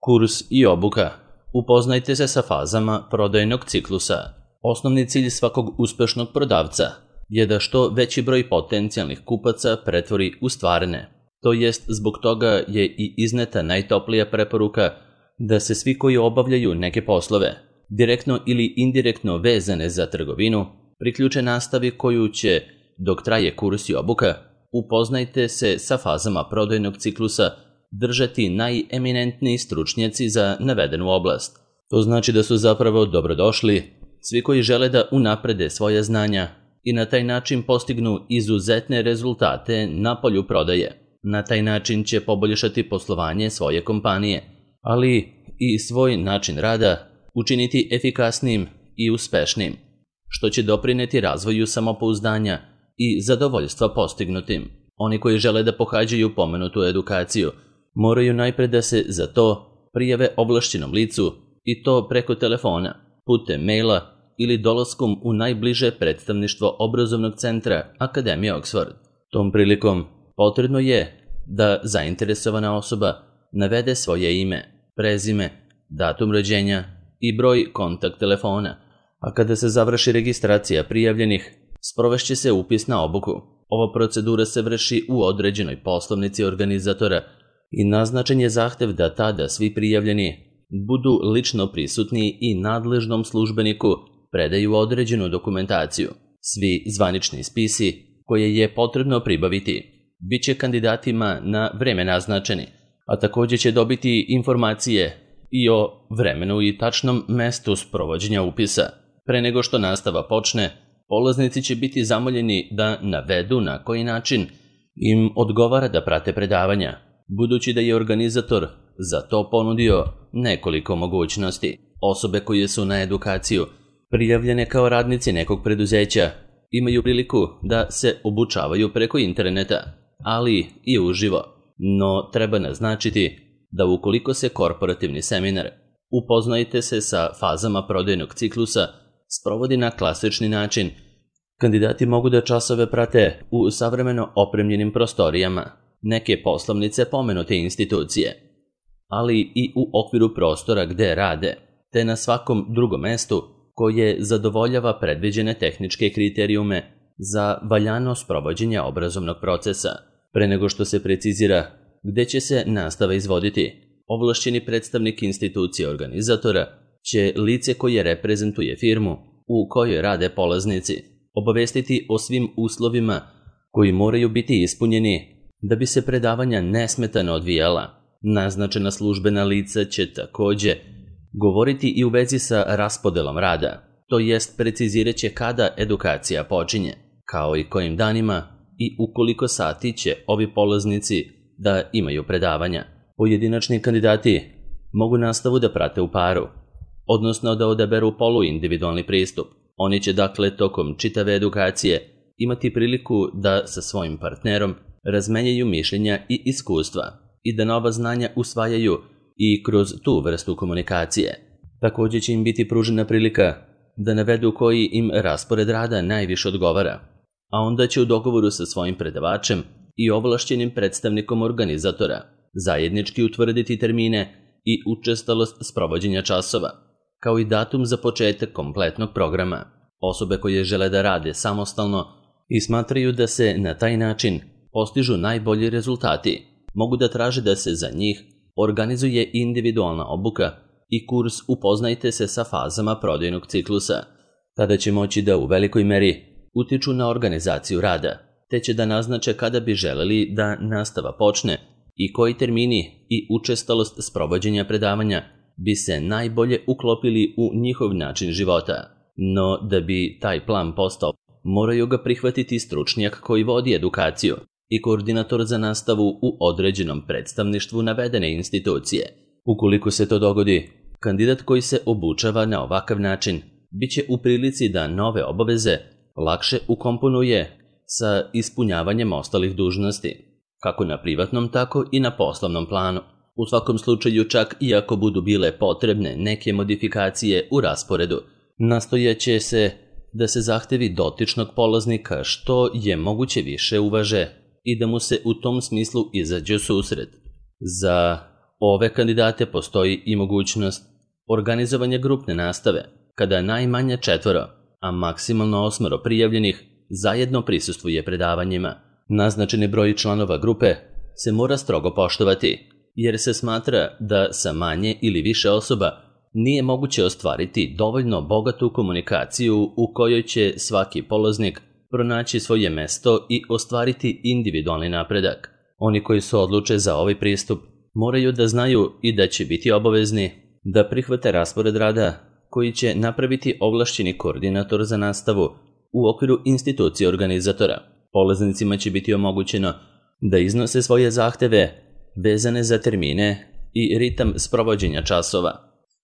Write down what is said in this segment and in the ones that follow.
Kurs i obuka. Upoznajte se sa fazama prodajnog ciklusa. Osnovni cilj svakog uspešnog prodavca je da što veći broj potencijalnih kupaca pretvori u stvarne. To jest, zbog toga je i izneta najtoplija preporuka da se svi koji obavljaju neke poslove, direktno ili indirektno vezane za trgovinu, priključe nastavi koju će, dok traje kurs i obuka, upoznajte se sa fazama prodajnog ciklusa, držati najeminentniji stručnjaci za navedenu oblast. To znači da su zapravo dobrodošli svi koji žele da unaprede svoja znanja i na taj način postignu izuzetne rezultate na polju prodaje. Na taj način će poboljšati poslovanje svoje kompanije, ali i svoj način rada učiniti efikasnijim i uspešnim, što će doprineti razvoju samopouzdanja i zadovoljstva postignutim. Oni koji žele da pohađaju pomenutu edukaciju moraju najpre da se za to prijave ovlašćenom licu i to preko telefona, putem maila ili dolaskom u najbliže predstavništvo obrazovnog centra Akademije Oxford. Tom prilikom potrebno je da zainteresovana osoba navede svoje ime, prezime, datum rođenja i broj kontakt telefona, a kada se završi registracija prijavljenih, sprovešće se upis na obuku. Ova procedura se vrši u određenoj poslovnici organizatora i naznačen je zahtev da tada svi prijavljeni budu lično prisutni i nadležnom službeniku predaju određenu dokumentaciju. Svi zvanični spisi koje je potrebno pribaviti biće kandidatima na vreme naznačeni, a također će dobiti informacije i o vremenu i tačnom mestu sprovođenja upisa. Pre nego što nastava počne, polaznici će biti zamoljeni da navedu na koji način im odgovara da prate predavanja, budući da je organizator za to ponudio nekoliko mogućnosti. Osobe koje su na edukaciju prijavljene kao radnici nekog preduzeća imaju priliku da se obučavaju preko interneta, ali i uživo. No treba naznačiti da ukoliko se korporativni seminar upoznajte se sa fazama prodajnog ciklusa sprovodi na klasični način, kandidati mogu da časove prate u savremeno opremljenim prostorijama neke poslovnice pomenute institucije, ali i u okviru prostora gde rade, te na svakom drugom mestu koje zadovoljava predviđene tehničke kriterijume za valjano sprovođenje obrazovnog procesa. Pre nego što se precizira gde će se nastava izvoditi, ovlašćeni predstavnik institucije organizatora će lice koje reprezentuje firmu u kojoj rade polaznici obavestiti o svim uslovima koji moraju biti ispunjeni da bi se predavanja nesmetano odvijala. Naznačena službena lica će također govoriti i u vezi sa raspodelom rada, to jest precizirat će kada edukacija počinje, kao i kojim danima i u koliko sati će ovi polaznici da imaju predavanja. Pojedinačni kandidati mogu nastavu da prate u paru, odnosno da odaberu poluindividualni pristup. Oni će dakle tokom čitave edukacije imati priliku da sa svojim partnerom razmenjaju mišljenja i iskustva i da nova znanja usvajaju i kroz tu vrstu komunikacije. Također će im biti pružena prilika da navedu koji im raspored rada najviše odgovara, a onda će u dogovoru sa svojim predavačem i ovlašćenim predstavnikom organizatora zajednički utvrditi termine i učestalost sprovođenja časova, kao i datum za početak kompletnog programa. Osobe koje žele da rade samostalno i smatraju da se na taj način postižu najbolji rezultati, mogu da traže da se za njih organizuje individualna obuka i kurs Upoznajte se sa fazama prodajnog ciklusa. Tada će moći da u velikoj meri utiču na organizaciju rada, te će da naznače kada bi želeli da nastava počne i koji termini i učestalost sprovođenja predavanja bi se najbolje uklopili u njihov način života. No da bi taj plan postao, moraju ga prihvatiti stručnjak koji vodi edukaciju i koordinator za nastavu u određenom predstavništvu navedene institucije. Ukoliko se to dogodi, kandidat koji se obučava na ovakav način bit će u prilici da nove obaveze lakše ukomponuje sa ispunjavanjem ostalih dužnosti, kako na privatnom, tako i na poslovnom planu. U svakom slučaju, čak i ako budu bile potrebne neke modifikacije u rasporedu, nastojaće se da se zahtevi dotičnog polaznika što je moguće više uvaže i da mu se u tom smislu izađe u susret. Za ove kandidate postoji i mogućnost organizovanja grupne nastave, kada najmanje 4, a maksimalno 8 prijavljenih zajedno prisustvuje predavanjima. Naznačeni broj članova grupe se mora strogo poštovati, jer se smatra da sa manje ili više osoba nije moguće ostvariti dovoljno bogatu komunikaciju u kojoj će svaki polaznik pronaći svoje mesto i ostvariti individualni napredak. Oni koji se odluče za ovaj pristup moraju da znaju i da će biti obavezni da prihvate raspored rada koji će napraviti ovlašćeni koordinator za nastavu u okviru institucije organizatora. Polaznicima će biti omogućeno da iznose svoje zahteve vezane za termine i ritam sprovođenja časova,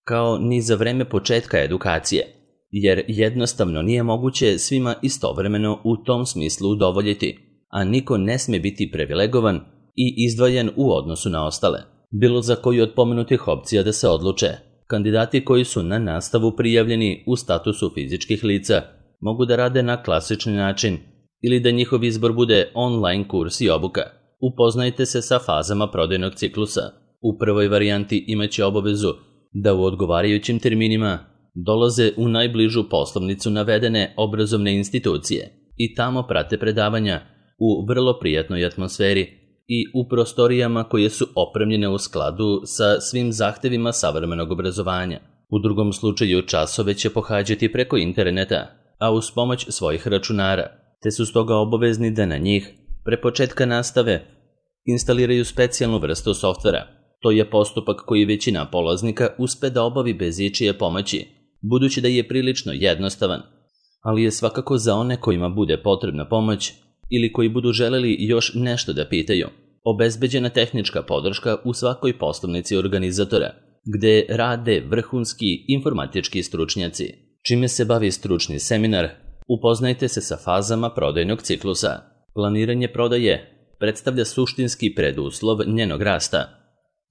kao ni za vreme početka edukacije, jer jednostavno nije moguće svima istovremeno u tom smislu udovoljiti, a niko ne sme biti privilegovan i izdvojen u odnosu na ostale. Bilo za koju od pomenutih opcija da se odluče, kandidati koji su na nastavu prijavljeni u statusu fizičkih lica mogu da rade na klasični način ili da njihov izbor bude online kurs i obuka. Upoznajte se sa fazama prodajnog ciklusa. U prvoj varijanti imaće obavezu da u odgovarajućim terminima dolaze u najbližu poslovnicu navedene obrazovne institucije i tamo prate predavanja u vrlo prijatnoj atmosferi i u prostorijama koje su opremljene u skladu sa svim zahtevima savremenog obrazovanja. U drugom slučaju časove će pohađati preko interneta, a uz pomoć svojih računara, te su stoga obavezni da na njih, pre početka nastave, instaliraju specijalnu vrstu softvera. To je postupak koji većina polaznika uspe da obavi bez ičije pomoći, budući da je prilično jednostavan, ali je svakako za one kojima bude potrebna pomoć ili koji budu želeli još nešto da pitaju obezbeđena tehnička podrška u svakoj poslovnici organizatora, gde rade vrhunski informatički stručnjaci. Čime se bavi stručni seminar, upoznajte se sa fazama prodajnog ciklusa. Planiranje prodaje predstavlja suštinski preduslov njenog rasta,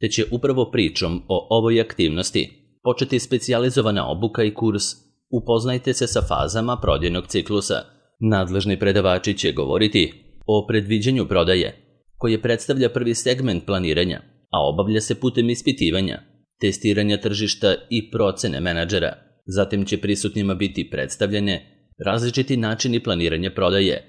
te će upravo pričom o ovoj aktivnosti početi specijalizovana obuka i kurs Upoznajte se sa fazama prodajnog ciklusa. Nadležni predavači će govoriti o predviđanju prodaje, koje predstavlja prvi segment planiranja, a obavlja se putem ispitivanja, testiranja tržišta i procene menadžera. Zatim će prisutnima biti predstavljene različiti načini planiranja prodaje,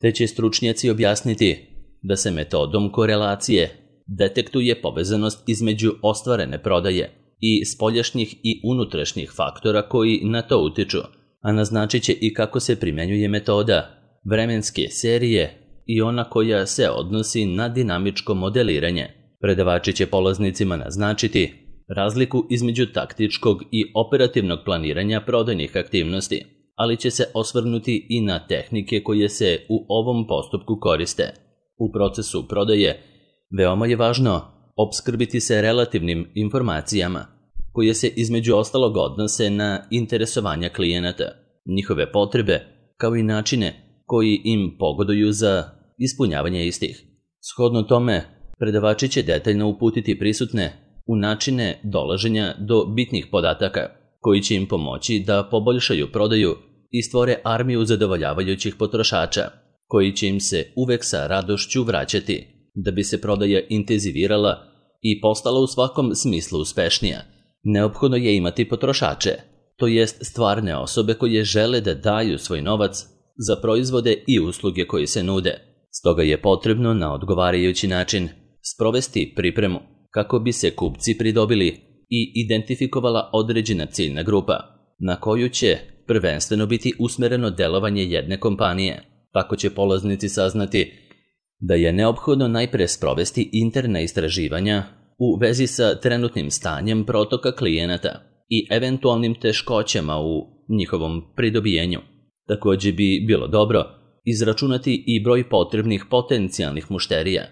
te će stručnjaci objasniti da se metodom korelacije detektuje povezanost između ostvarene prodaje i spoljašnjih i unutrašnjih faktora koji na to utiču, a naznačit će i kako se primenjuje metoda vremenske serije i ona koja se odnosi na dinamičko modeliranje. Predavači će polaznicima naznačiti razliku između taktičkog i operativnog planiranja prodajnih aktivnosti, ali će se osvrnuti i na tehnike koje se u ovom postupku koriste. U procesu prodaje veoma je važno opskrbiti se relativnim informacijama, koje se između ostalog odnose na interesovanja klijenata, njihove potrebe, kao i načine koji im pogoduju za ispunjavanje istih. Shodno tome, predavači će detaljno uputiti prisutne u načine dolaženja do bitnih podataka, koji će im pomoći da poboljšaju prodaju i stvore armiju zadovoljavajućih potrošača, koji će im se uvek sa radošću vraćati. Da bi se prodaja intenzivirala i postala u svakom smislu uspešnija, neophodno je imati potrošače, to jest stvarne osobe koje žele da daju svoj novac za proizvode i usluge koje se nude. Stoga je potrebno na odgovarajući način sprovesti pripremu kako bi se kupci pridobili i identifikovala određena ciljna grupa, na koju će prvenstveno biti usmereno delovanje jedne kompanije. Tako će polaznici saznati da je neophodno najpre sprovesti interna istraživanja u vezi sa trenutnim stanjem protoka klijenata i eventualnim teškoćama u njihovom pridobijenju. Također bi bilo dobro izračunati i broj potrebnih potencijalnih mušterija,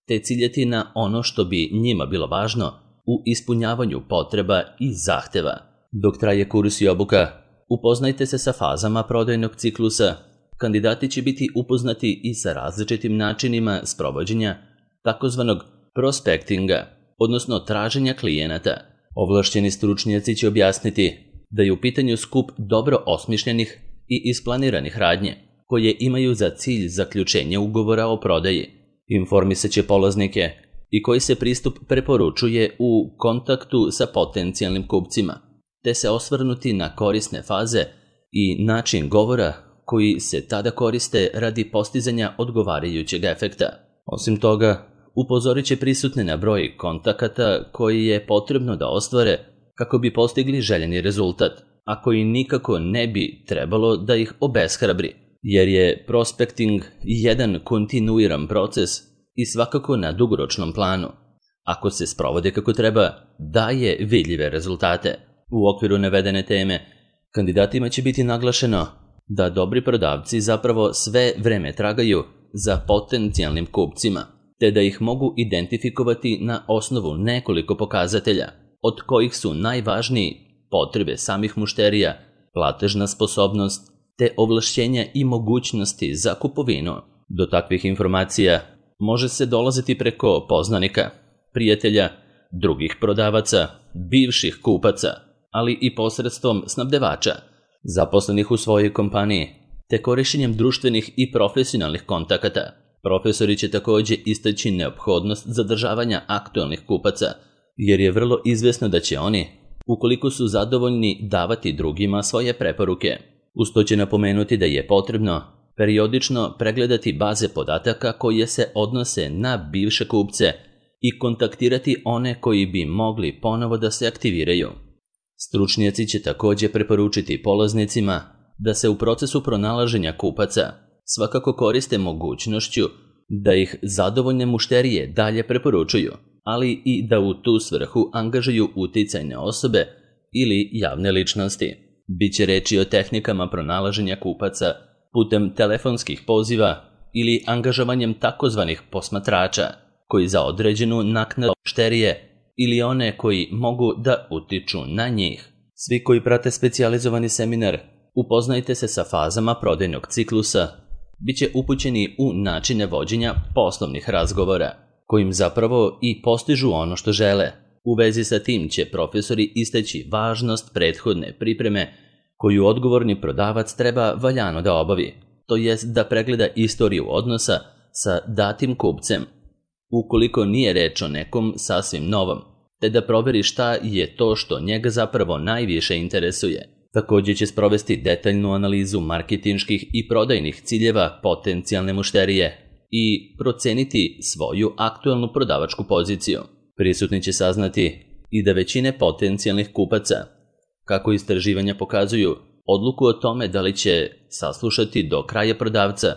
te ciljati na ono što bi njima bilo važno u ispunjavanju potreba i zahteva. Dok traje kurs i obuka, upoznajte se sa fazama prodajnog ciklusa. Kandidati će biti upoznati i sa različitim načinima sprovođenja takozvanog prospektinga, odnosno traženja klijenata. Ovlašćeni stručnjaci će objasniti da je u pitanju skup dobro osmišljenih i isplaniranih radnje, koje imaju za cilj zaključenje ugovora o prodaji. Informisat će polaznike i koji se pristup preporučuje u kontaktu sa potencijalnim kupcima, te se osvrnuti na korisne faze i način govora koji se tada koriste radi postizanja odgovarajućeg efekta. Osim toga, upozorit će prisutne na broj kontakata koji je potrebno da ostvare kako bi postigli željeni rezultat, a koji nikako ne bi trebalo da ih obeshrabri, jer je prospecting jedan kontinuiran proces i svakako na dugoročnom planu. Ako se sprovode kako treba, daje vidljive rezultate. U okviru navedene teme, kandidatima će biti naglašeno da dobri prodavci zapravo sve vreme tragaju za potencijalnim kupcima, te da ih mogu identifikovati na osnovu nekoliko pokazatelja, od kojih su najvažniji potrebe samih mušterija, platežna sposobnost, te ovlašćenja i mogućnosti za kupovinu. Do takvih informacija može se dolaziti preko poznanika, prijatelja, drugih prodavaca, bivših kupaca, ali i posredstvom snabdevača, zaposlenih u svojoj kompaniji, te korišćenjem društvenih i profesionalnih kontakata. Profesori će također istaći neophodnost zadržavanja aktualnih kupaca, jer je vrlo izvesno da će oni, ukoliko su zadovoljni, davati drugima svoje preporuke. Uz to će napomenuti da je potrebno periodično pregledati baze podataka koje se odnose na bivše kupce i kontaktirati one koji bi mogli ponovo da se aktiviraju. Stručnjaci će također preporučiti polaznicima da se u procesu pronalaženja kupaca svakako koriste mogućnošću da ih zadovoljne mušterije dalje preporučuju, ali i da u tu svrhu angažuju uticajne osobe ili javne ličnosti. Biće reči o tehnikama pronalaženja kupaca putem telefonskih poziva ili angažovanjem takozvanih posmatrača koji za određenu naknadu mušterije ili one koji mogu da utiču na njih. Svi koji prate specijalizovani seminar Upoznajte se sa fazama prodajnog ciklusa, bit će upućeni u načine vođenja poslovnih razgovora, kojim zapravo i postižu ono što žele. U vezi sa tim će profesori istaći važnost prethodne pripreme koju odgovorni prodavac treba valjano da obavi, to jest da pregleda istoriju odnosa sa datim kupcem, ukoliko nije reč o nekom sasvim novom, te da proveri šta je to što njega zapravo najviše interesuje. Također će sprovesti detaljnu analizu marketinških i prodajnih ciljeva potencijalne mušterije i proceniti svoju aktualnu prodavačku poziciju. Prisutni će saznati i da većine potencijalnih kupaca, kako istraživanja pokazuju, odluku o tome da li će saslušati do kraja prodavca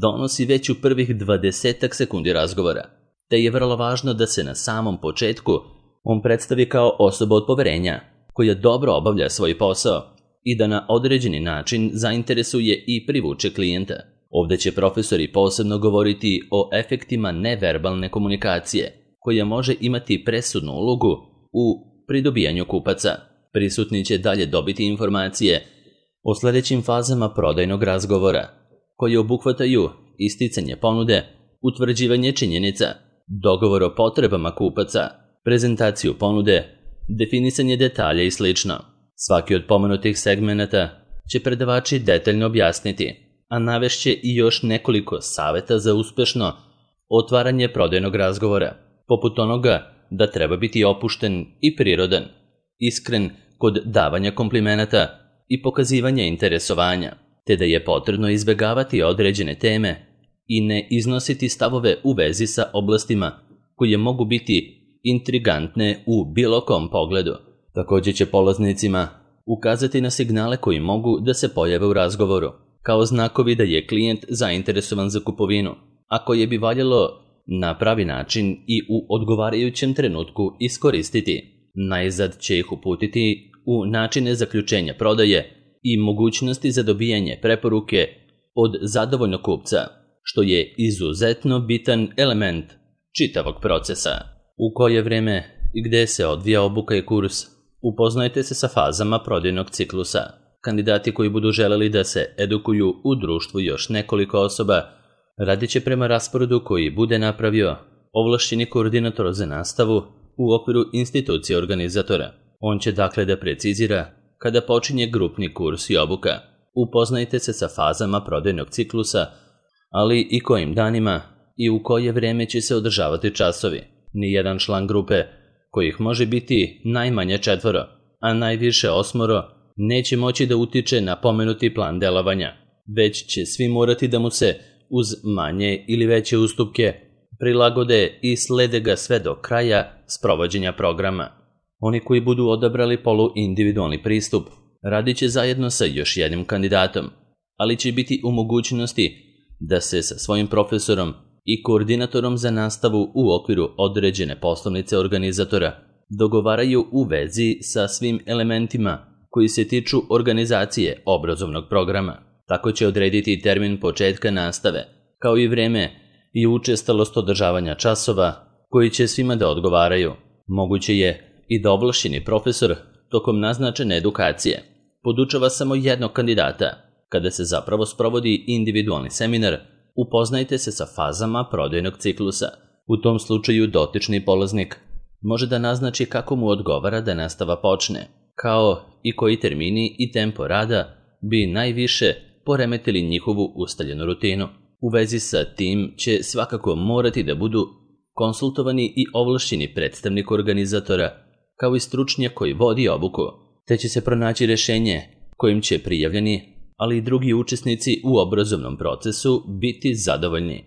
donosi već u prvih 20 sekundi razgovora, te je vrlo važno da se na samom početku on predstavi kao osoba od poverenja, koja dobro obavlja svoj posao i da na određeni način zainteresuje i privuče klijenta. Ovdje će profesori posebno govoriti o efektima neverbalne komunikacije, koja može imati presudnu ulogu u pridobijanju kupaca. Prisutni će dalje dobiti informacije o sljedećim fazama prodajnog razgovora, koje obuhvataju isticanje ponude, utvrđivanje činjenica, dogovor o potrebama kupaca, prezentaciju ponude, definisanje detalja i sl. Svaki od pomenutih segmenata će predavači detaljno objasniti, a navešće i još nekoliko savjeta za uspešno otvaranje prodajnog razgovora, poput onoga da treba biti opušten i prirodan, iskren kod davanja komplimenata i pokazivanja interesovanja, te da je potrebno izbjegavati određene teme i ne iznositi stavove u vezi sa oblastima koje mogu biti intrigantne u bilo kom pogledu. Također će polaznicima ukazati na signale koji mogu da se pojave u razgovoru, kao znakovi da je klijent zainteresovan za kupovinu, a koje bi valjalo na pravi način i u odgovarajućem trenutku iskoristiti. Najzad će ih uputiti u načine zaključenja prodaje i mogućnosti za dobijanje preporuke od zadovoljnog kupca, što je izuzetno bitan element čitavog procesa. U koje vrijeme i gdje se odvija obuka i kurs, upoznajte se sa fazama prodajnog ciklusa. Kandidati koji budu želeli da se edukuju u društvu još nekoliko osoba, radit će prema rasporedu koji bude napravio ovlašćeni koordinator za nastavu u okviru institucije organizatora. On će dakle da precizira kada počinje grupni kurs i obuka. Upoznajte se sa fazama prodajnog ciklusa, ali i kojim danima i u koje vrijeme će se održavati časovi. Nijedan član grupe, kojih može biti najmanje 4, a najviše 8, neće moći da utiče na pomenuti plan delovanja, već će svi morati da mu se, uz manje ili veće ustupke, prilagode i slede ga sve do kraja sprovođenja programa. Oni koji budu odabrali poluindividualni pristup radit će zajedno sa još jednim kandidatom, ali će biti u mogućnosti da se sa svojim profesorom i koordinatorom za nastavu u okviru određene poslovnice organizatora dogovaraju u vezi sa svim elementima koji se tiču organizacije obrazovnog programa. Tako će odrediti termin početka nastave, kao i vreme i učestalost održavanja časova koji će svima da odgovaraju. Moguće je i da ovlašćeni profesor tokom naznačene edukacije podučava samo jednog kandidata. Kada se zapravo sprovodi individualni seminar, upoznajte se sa fazama prodajnog ciklusa. U tom slučaju dotični polaznik može da naznači kako mu odgovara da nastava počne, kao i koji termini i tempo rada bi najviše poremetili njihovu ustaljenu rutinu. U vezi sa tim će svakako morati da budu konsultovani i ovlašćeni predstavnik organizatora, kao i stručnjak koji vodi obuku, te će se pronaći rešenje kojim će prijavljeni, ali i drugi učesnici u obrazovnom procesu biti zadovoljni.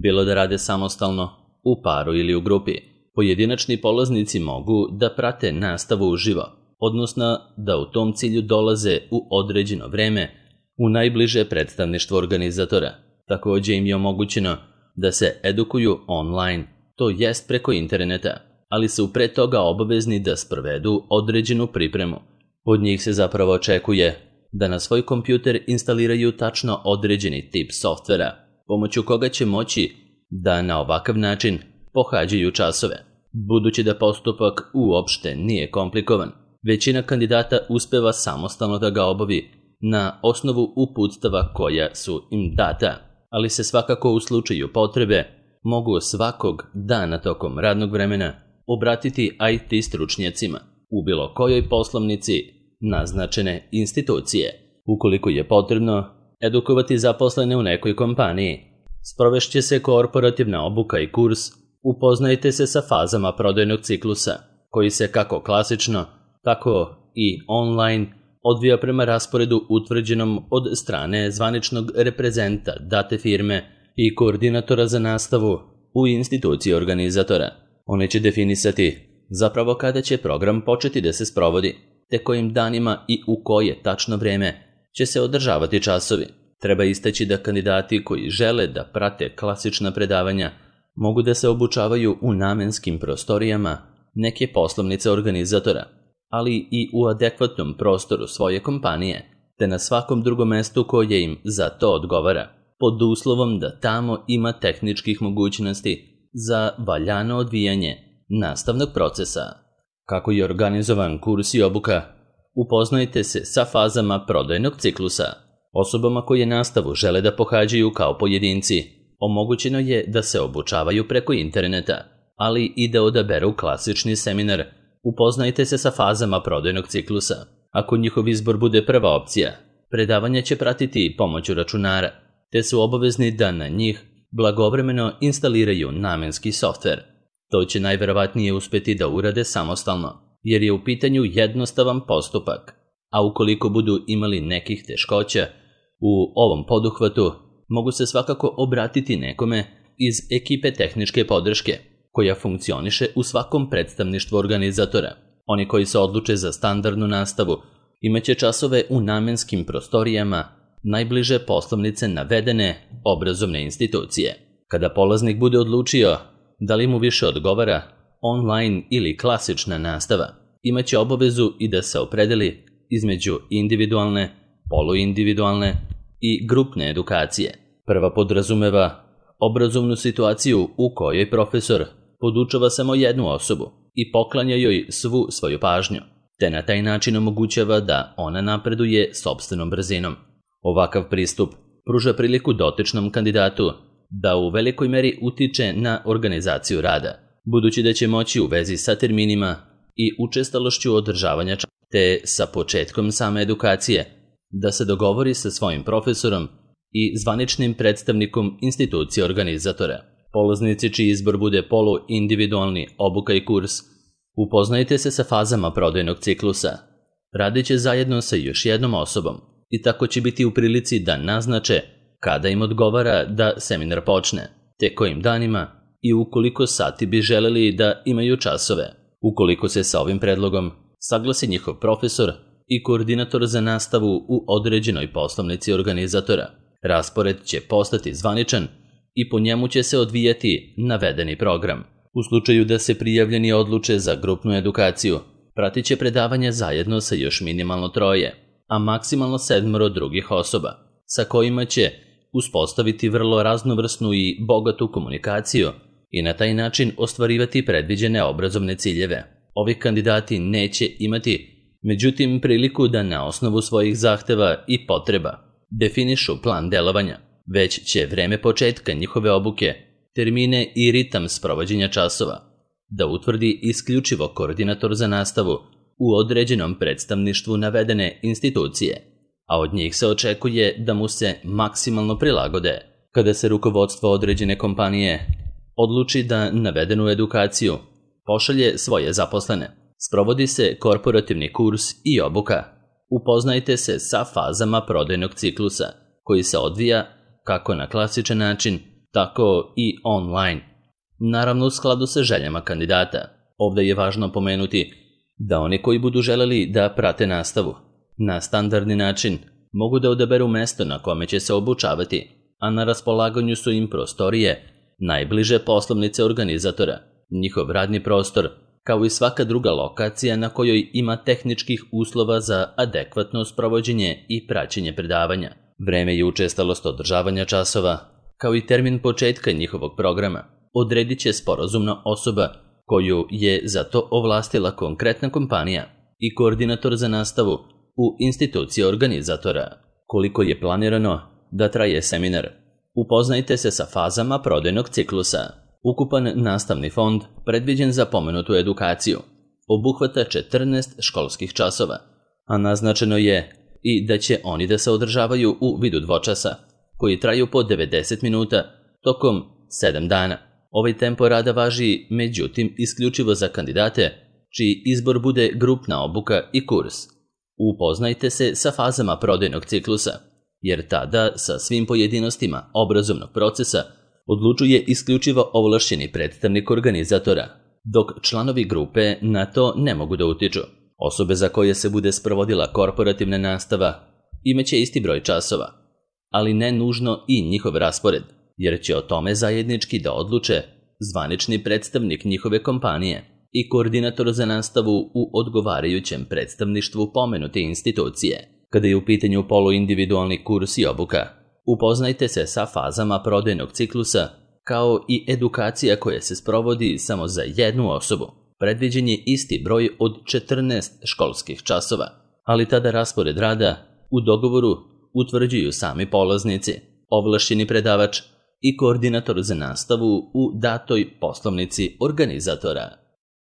Bilo da rade samostalno, u paru ili u grupi, pojedinačni polaznici mogu da prate nastavu uživo, odnosno da u tom cilju dolaze u određeno vreme u najbliže predstavništvo organizatora. Također im je omogućeno da se edukuju online, to jest preko interneta, ali su pre toga obavezni da sprovedu određenu pripremu. Od njih se zapravo očekuje da na svoj kompjuter instaliraju tačno određeni tip softvera, pomoću koga će moći da na ovakav način pohađaju časove. Budući da postupak uopšte nije komplikovan, većina kandidata uspeva samostalno da ga obavi na osnovu uputstava koja su im data, ali se svakako u slučaju potrebe mogu svakog dana tokom radnog vremena obratiti IT stručnjacima u bilo kojoj poslovnici naznačene institucije. Ukoliko je potrebno edukovati zaposlene u nekoj kompaniji, sprovešće se korporativna obuka i kurs Upoznajte se sa fazama prodajnog ciklusa, koji se kako klasično, tako i online odvija prema rasporedu utvrđenom od strane zvaničnog reprezenta date firme i koordinatora za nastavu u instituciji organizatora. One će definisati zapravo kada će program početi da se sprovodi, te kojim danima i u koje tačno vreme će se održavati časovi. Treba istaći da kandidati koji žele da prate klasična predavanja mogu da se obučavaju u namenskim prostorijama neke poslovnice organizatora, ali i u adekvatnom prostoru svoje kompanije, te na svakom drugom mestu koje im za to odgovara, pod uslovom da tamo ima tehničkih mogućnosti za valjano odvijanje nastavnog procesa. Kako je organizovan kurs i obuka? Upoznajte se sa fazama prodajnog ciklusa. Osobama koje nastavu žele da pohađaju kao pojedinci, omogućeno je da se obučavaju preko interneta, ali i da odaberu klasični seminar. Upoznajte se sa fazama prodajnog ciklusa. Ako njihov izbor bude prva opcija, predavanje će pratiti pomoću računara, te su obavezni da na njih blagovremeno instaliraju namenski softver. To će najverovatnije uspeti da urade samostalno, jer je u pitanju jednostavan postupak, a ukoliko budu imali nekih teškoća u ovom poduhvatu, mogu se svakako obratiti nekome iz ekipe tehničke podrške, koja funkcioniše u svakom predstavništvu organizatora. Oni koji se odluče za standardnu nastavu imaće časove u namenskim prostorijama najbliže poslovnice navedene obrazovne institucije. Kada polaznik bude odlučio da li mu više odgovara online ili klasična nastava, imaće obavezu i da se opredeli između individualne, poluindividualne i grupne edukacije. Prva podrazumeva obrazovnu situaciju u kojoj profesor podučava samo jednu osobu i poklanja joj svu svoju pažnju, te na taj način omogućava da ona napreduje sopstvenom brzinom. Ovakav pristup pruža priliku dotičnom kandidatu da u velikoj meri utiče na organizaciju rada, budući da će moći u vezi sa terminima i učestalošću održavanja časa, te sa početkom same edukacije, da se dogovori sa svojim profesorom i zvaničnim predstavnikom institucije organizatora. Polaznici čiji izbor bude poluindividualni obuka i kurs, upoznajte se sa fazama prodajnog ciklusa. Radit će zajedno sa još jednom osobom i tako će biti u prilici da naznače kada im odgovara da seminar počne, te kojim danima i u koliko sati bi želeli da imaju časove. Ukoliko se sa ovim predlogom saglasi njihov profesor i koordinator za nastavu u određenoj poslovnici organizatora, raspored će postati zvaničan i po njemu će se odvijati navedeni program. U slučaju da se prijavljeni odluče za grupnu edukaciju, pratit će predavanje zajedno sa još minimalno 3, a maksimalno 7 drugih osoba, sa kojima će uspostaviti vrlo raznovrsnu i bogatu komunikaciju i na taj način ostvarivati predviđene obrazovne ciljeve. Ovi kandidati neće imati, međutim, priliku da na osnovu svojih zahteva i potreba definišu plan delovanja, već će vreme početka njihove obuke, termine i ritam sprovođenja časova da utvrdi isključivo koordinator za nastavu u određenom predstavništvu navedene institucije, a od njih se očekuje da mu se maksimalno prilagode. Kada se rukovodstvo određene kompanije odluči da navedenu edukaciju pošalje svoje zaposlene, sprovodi se korporativni kurs i obuka. Upoznajte se sa fazama prodajnog ciklusa, koji se odvija kako na klasičan način, tako i online. Naravno u skladu sa željama kandidata. Ovdje je važno pomenuti da oni koji budu želeli da prate nastavu na standardni način mogu da odaberu mesto na kome će se obučavati, a na raspolaganju su im prostorije najbliže poslovnice organizatora, njihov radni prostor, kao i svaka druga lokacija na kojoj ima tehničkih uslova za adekvatno sprovođenje i praćenje predavanja. Vreme i učestalost održavanja časova, kao i termin početka njihovog programa, odredit će sporazumna osoba koju je za to ovlastila konkretna kompanija i koordinator za nastavu u instituciji organizatora. Koliko je planirano da traje seminar? Upoznajte se sa fazama prodajnog ciklusa. Ukupan nastavni fond predviđen za pomenutu edukaciju obuhvata 14 školskih časova, a naznačeno je i da će oni da se održavaju u vidu dvočasa, koji traju po 90 minuta tokom 7 dana. Ovaj tempo rada važi, međutim, isključivo za kandidate čiji izbor bude grupna obuka i kurs. Upoznajte se sa fazama prodajnog ciklusa, jer tada sa svim pojedinostima obrazovnog procesa odlučuje isključivo ovlašćeni predstavnik organizatora, dok članovi grupe na to ne mogu da utiču. Osobe za koje se bude sprovodila korporativna nastava imaće isti broj časova, ali ne nužno i njihov raspored, jer će o tome zajednički da odluče zvanični predstavnik njihove kompanije i koordinator za nastavu u odgovarajućem predstavništvu pomenute institucije. Kada je u pitanju poluindividualni kurs i obuka, upoznajte se sa fazama prodajnog ciklusa, kao i edukacija koja se sprovodi samo za jednu osobu. Predviđen je isti broj od 14 školskih časova, ali tada raspored rada u dogovoru utvrđuju sami polaznici, ovlašćeni predavač i koordinator za nastavu u datoj poslovnici organizatora.